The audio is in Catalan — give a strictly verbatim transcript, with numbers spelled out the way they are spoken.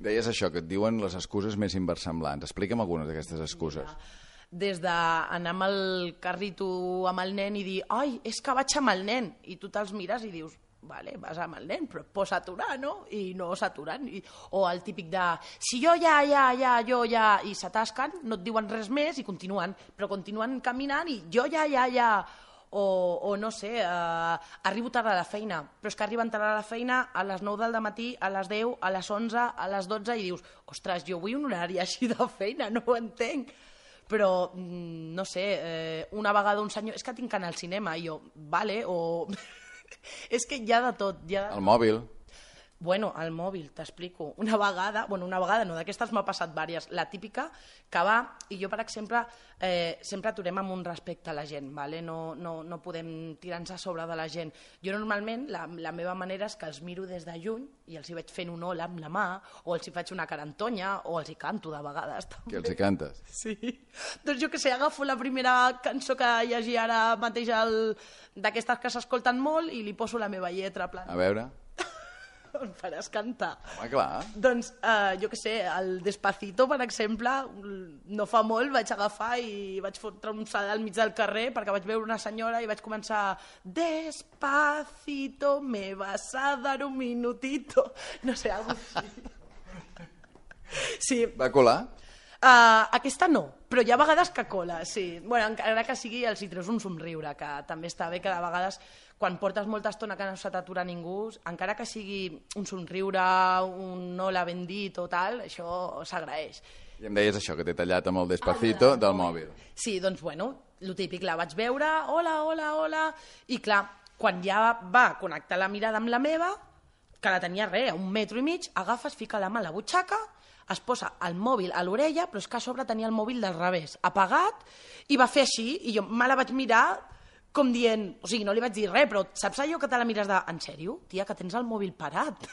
Deies això, que et diuen les excuses més inversemblants. Explica'm algunes d'aquestes excuses. Des d'anar amb el carrito amb el nen i dir ai, és que vaig amb el nen, i tu te'ls mires i dius vale, vas amb el nen, però et pots aturar, no? I no s'aturen. O el típic de si jo ja, ja, ja, jo ja, i s'atasquen, no et diuen res més i continuen, però continuen caminant i jo ja, ja, ja. O, o no sé, eh, arribo tard a la feina, però és que arriben tard a la feina a les nou del matí, a les deu, a les onze, a les dotze, i dius, ostres, jo vull un horari així de feina, no ho entenc. Però, no sé, eh, una vegada un senyor, és que tinc que anar al cinema, i jo, vale, o... és que hi ha de tot. Hi ha de... El mòbil. Bueno, el mòbil, t'explico. Una vegada, bueno, una vegada no, d'aquestes m'ha passat vàries. La típica que va, i jo, per exemple, eh, sempre aturem amb un respecte a la gent, vale? no, no, no podem tirar-nos a sobre de la gent. Jo normalment, la, la meva manera és que els miro des de lluny i els hi vaig fent un hola amb la mà, o els hi faig una carantonya, o els hi canto de vegades. També. Que els hi cantes? Sí. Doncs jo que sé, agafo la primera cançó que hi hagi ara mateix el... d'aquestes que s'escolten molt i li poso la meva lletra. Plan. A veure... Em faràs cantar. Home, clar. Doncs, eh, jo què sé, el Despacito, per exemple, no fa molt vaig agafar i vaig fotre un salt al mig del carrer perquè vaig veure una senyora i vaig començar Despacito, me vas a dar un minutito. No sé, alguna cosa així. Sí. Va colar? Uh, aquesta no, però hi ha vegades que cola, sí. Bueno, encara que sigui els hi treus un somriure, que també està bé que de vegades, quan portes molta estona que no se t'atura ningú, encara que sigui un somriure, un hola ben dit o tal, això s'agraeix. I em deies això, que t'he tallat amb el Despacito del mòbil. Sí, doncs bueno, lo típic, la vaig veure, hola, hola, hola, i clar, quan ja va connectar la mirada amb la meva, que la tenia res, a un metro i mig, agafes, fica la mà a la butxaca, es posa el mòbil a l'orella, però és que a sobre tenia el mòbil del revés, apagat, i va fer així, i jo me la vaig mirar com dient, o sigui, no li vaig dir res, però saps allò que te la mires de, en sèrio, tia, que tens el mòbil parat?